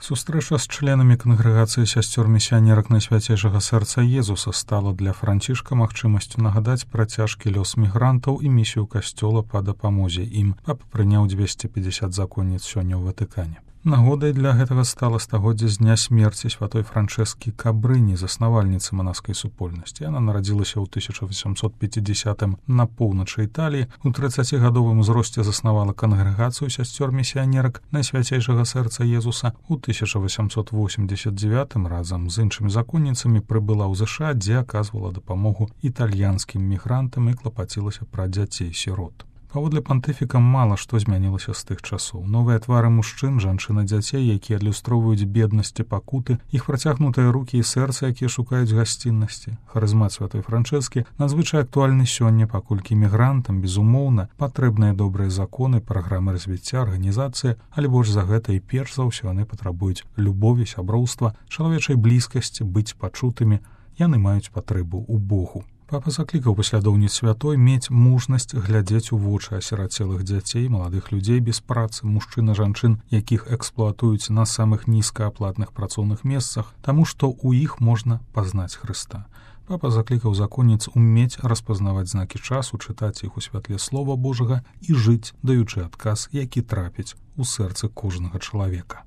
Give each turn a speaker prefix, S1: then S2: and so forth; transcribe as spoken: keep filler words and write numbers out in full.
S1: Сустрэча з членамі кангрэгацыі сясцёр місіянерак Найсвяцейшага сэрца Езуса стала для Францішка магчымасцю нагадаць пра цяжкі лёс мігрантаў і місію касцёла па дапамозе ім. Папа прыняў дзвесце пятьдесят законніц сёння ў Ватыкане. Нагодай для гэтага стала стагоддзе з дня смерці святой Франчэскі Кабрыні, заснавальніцы манаскай супольнасці. Яна нарадзілася ў тысяча восемьсот пятидесятым на поўначы Італіі. У трыццацігадовым узросце заснавала кангрэгацыю сясцёр місіянерак Найсвяцейшага сэрца Езуса. У тысяча восемьсот восемьдесят девятым разам з іншымі законніцамі прыбыла ў ЗША, дзе аказвала дапамогу італьянскім мігрантам і клапацілася пра дзяцей-сірот. Паводле пантыфіка мала што змянілася з тых часоў. Новыя твары мужчын, жанчын і дзяцей, якія адлюстроўваюць беднасць і пакуты, іх працягнутыя рукі і сэрца, якія шукаюць гасціннасці. Харызмат святой Франчэскі надзвычай актуальны сёння, паколькі мігрантам, безумоўна, патрэбныя добрыя законы, праграмы развіцця, арганізацыі, але больш за гэта і перш за ўсё яны патрабуюць любові, сяброўства, чалавечай блізкасці, быць пачутымі. Яны маюць патрэбу ў Богу. Папа заклікаў паслядоўніц святой мець мужнасць глядзець у вочы асірацелых дзяцей, маладых людзей без працы, мужчын і жанчын, якіх эксплуатуюць на самых нізкааплатных працоўных месцах, таму што ў іх можна пазнаць Хрыста. Папа заклікаў законніц умець распазнаваць знакі часу, чытаць іх у святле Слова Божага і жыць, даючы адказ, які трапіць у сэрцы кожнага чалавека.